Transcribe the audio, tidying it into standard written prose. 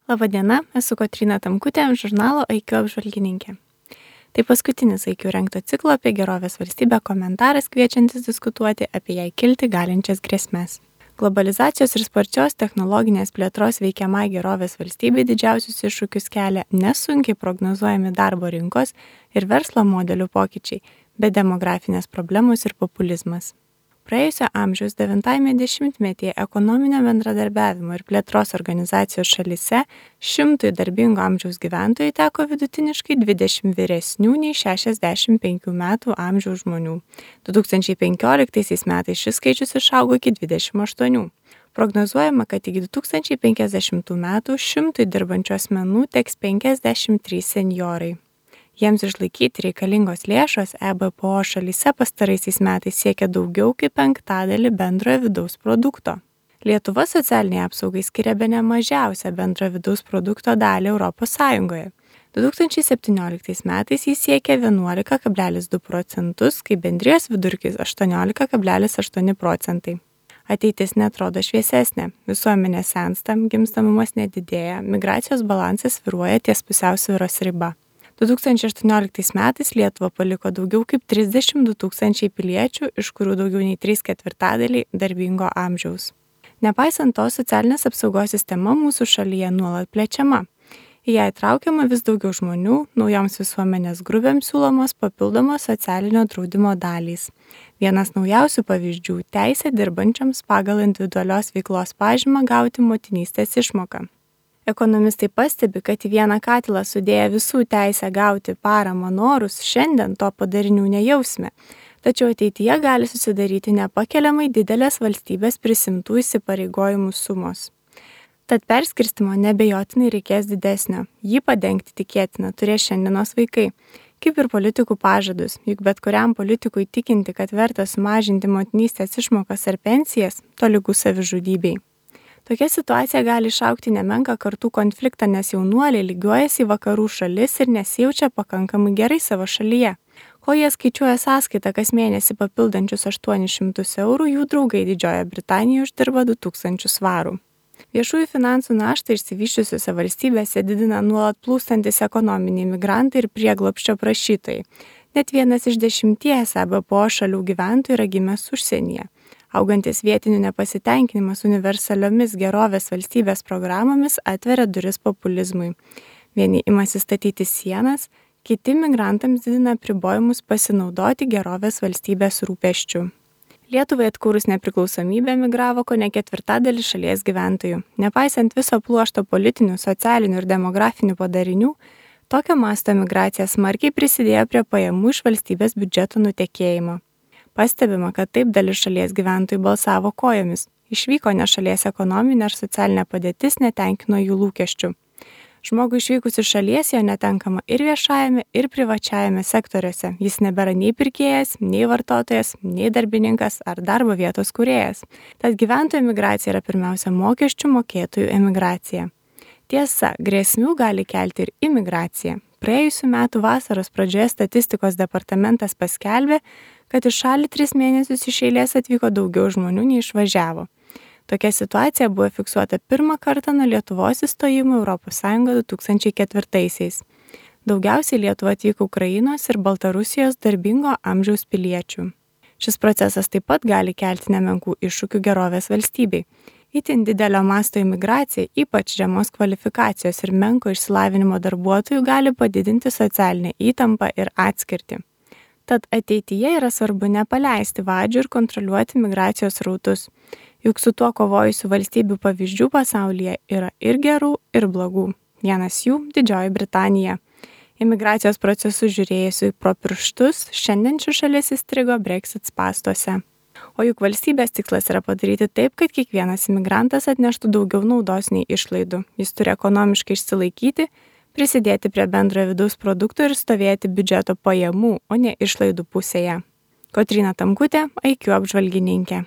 Labadiena, esu Kotryna Tamkutė, žurnalo IQ apžvalgininkė. Tai paskutinis IQ rengto ciklo apie gerovės valstybę komentaras kviečiantis diskutuoti apie jai kilti galinčias grėsmes. Globalizacijos ir sparčios technologinės plėtros veikiamai gerovės valstybei didžiausius iššūkius kelia nesunkiai prognozuojami darbo rinkos ir verslo modelių pokyčiai, bet demografinės problemos ir populizmas. Praėjusio amžiaus 9-ame dešimtmetyje ekonominio bendradarbiavimo ir plėtros organizacijos šalyse 100 darbingo amžiaus gyventojų teko vidutiniškai 20 vyresnių nei 65 metų amžiaus žmonių. 2015 metais šis skaičius išaugo iki 28. Prognozuojama, kad iki 2050 metų 100 dirbančių asmenų teks 53 senjorai. Jiems išlaikyti reikalingos lėšos EBPO šalyse pastaraisiais metais siekia daugiau kaip 1/5 bendrojo vidaus produkto. Lietuva socialiniai apsaugai skiria bene mažiausią bendrojo vidaus produkto dalį ES. 2017 metais jis siekia 11,2 procentus, kai bendrijos vidurkis 18,8 procentai. Ateitis netrodo šviesesnė, visuomenė sensta, gimstamumas nedidėja, migracijos balansas svyruoja ties pusiausvyros riba. 2018 metais Lietuva paliko daugiau kaip 32 tūkstančiai piliečių, iš kurių daugiau nei 3/4 darbingo amžiaus. Nepaisant to, socialinės apsaugos sistema mūsų šalyje nuolat plečiama. Į ją įtraukiama vis daugiau žmonių, naujoms visuomenės grupėms siūlomos papildomos socialinio draudimo dalys. Vienas naujausių pavyzdžių – teisė dirbančiams pagal individualios veiklos pažymą gauti motinystės išmoką. Ekonomistai pastebi, kad į vieną katilą sudėję visų teisę gauti paramą norus, šiandien to padarinių nejausime, tačiau ateityje gali susidaryti nepakeliamai didelės valstybės prisimtų įsipareigojimų sumos. Tad perskirstimo nebejotinai reikės didesnio, jį padengti tikėtina turės šiandienos vaikai, kaip ir politikų pažadus, juk bet kuriam politikui tikinti, kad verta sumažinti motinystės išmokas ar pensijas, tolygu savižudybei. Tokia situacija gali išaugti nemenką kartų konfliktą, nes jaunuoliai lygiuojasi į vakarų šalis ir nesijaučia pakankamai gerai savo šalyje. Kol jie skaičiuoja sąskaitą kas mėnesį papildančius 800 eurų, jų draugai Didžiojoje Britanijoje uždirba 2000 svarų. Viešųjų finansų naštą išsivysčiusiose valstybėse didina nuolat plūstantis ekonominiai migrantai ir prieglobsčio prašytojai. Net 1 iš 10 EBPO šalių gyventojų yra gimęs užsienyje. Augantis vietinių nepasitenkinimas universaliomis gerovės valstybės programomis atveria duris populizmui. Vieni imasi statyti sienas, kiti migrantams didina apribojimus pasinaudoti gerovės valstybės rūpesčių. Lietuvai atkūrus nepriklausomybę emigravo kone 1/4 šalies gyventojų. Nepaisant viso pluošto politinių, socialinių ir demografinių padarinių, tokio masto emigracija smarkiai prisidėjo prie pajamų iš valstybės biudžeto nutekėjimo. Pastebima, kad taip dalis šalies gyventojų balsavo kojomis. Išvyko, nes šalies ekonominė ar socialinė padėtis netenkino jų lūkesčių. Žmogui išvykus iš šalies jo netenkama ir viešajame, ir privačiajame sektoriuose. Jis nebėra nei pirkėjas, nei vartotojas, nei darbininkas ar darbo vietos kūrėjas. Tad gyventojų emigracija yra pirmiausia mokesčių mokėtojų emigracija. Tiesa, grėsmių gali kelti ir imigracija. Praėjusių metų vasaros pradžioje statistikos departamentas paskelbė, kad iš šalį 3 mėnesius iš eilės atvyko daugiau žmonių nei išvažiavo. Tokia situacija buvo fiksuota pirmą kartą nuo Lietuvos įstojimo ES 2004-aisiais. Daugiausiai Lietuva atvyko Ukrainos ir Baltarusijos darbingo amžiaus piliečių. Šis procesas taip pat gali kelti nemenkų iššūkių gerovės valstybei. Itin didelio masto imigracija, ypač žemos kvalifikacijos ir menko išsilavinimo darbuotojų gali padidinti socialinę įtampą ir atskirtį. Tad ateityje yra svarbu nepaleisti vadžių ir kontroliuoti migracijos srautus. Juk su tuo kovojusių valstybių pavyzdžių pasaulyje yra ir gerų, ir blogų. Vienas jų – Didžioji Britanija. Imigracijos procesus žiūrėjusių pro pirštus, šiandien ši šalis įstrigo Brexit spąstuose. O juk valstybės tikslas yra padaryti taip, kad kiekvienas imigrantas atneštų daugiau naudos nei išlaidų. Jis turi ekonomiškai išsilaikyti, prisidėti prie bendrojo vidaus produkto ir stovėti biudžeto pajamų, o ne išlaidų pusėje. Kotryna Tamkutė, IQ apžvalgininkė.